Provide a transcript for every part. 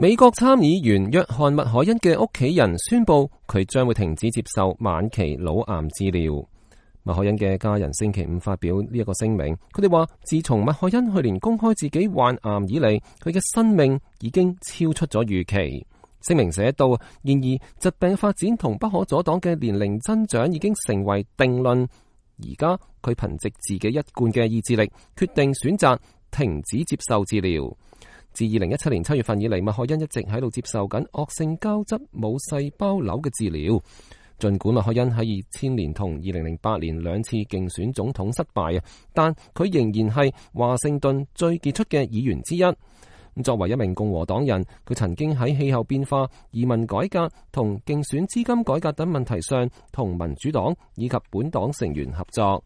美國參議員約翰麥凱恩嘅屋企人宣布，佢將會停止接受晚期腦癌治療。麥凱恩嘅家人星期五發表呢一個聲明，佢哋話自從麥凱恩去年公開自己患癌以嚟，佢嘅生命已經超出咗預期。聲明寫道，然而疾病發展同不可阻擋嘅年齡增長已經成為定論。而家佢憑藉自己一貫嘅意志力，決定選擇停止接受治療。自2017年7月份以嚟，麥凱恩一直喺度接受緊惡性膠質母細胞瘤嘅治療。盡管麥凱恩喺2000年同2008年兩次競選總統失敗，但佢仍然係華盛頓最傑出嘅議員之一。作為一名共和黨人，佢曾經喺氣候變化、移民改革同競選資金改革等問題上同民主黨以及本黨成員合作。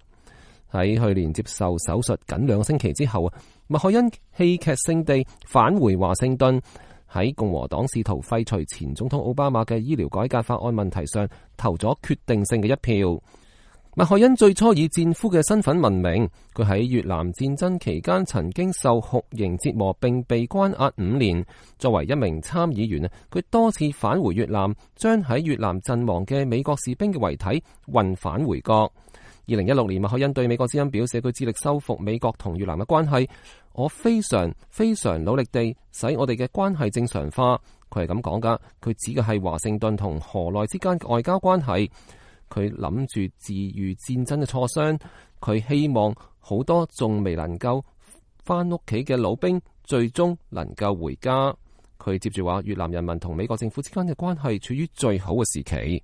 喺去年接受手術僅2個星期之後，麥凱恩戲劇性地返回華盛頓，喺共和黨試圖廢除前總統奧巴馬嘅醫療改革法案問題上投咗決定性嘅一票。麥凱恩最初以戰俘嘅身份聞名，佢喺越南戰爭期間曾經受酷刑折磨並被關押5年。作為一名參議員，佢多次返回越南，將喺越南陣亡嘅美國士兵嘅遺體運返回國。2016年，麥凱恩對美國之音表示，佢致力修復美國同越南嘅關係。我非常努力地使我哋嘅關係正常化。佢係咁講噶，佢指嘅係華盛頓同河內之間嘅外交關係。佢諗住治癒戰爭嘅挫傷，佢希望好多仲未能夠翻屋企嘅老兵最終能夠回家。佢接住話，越南人民同美國政府之間嘅關係處於最好嘅時期。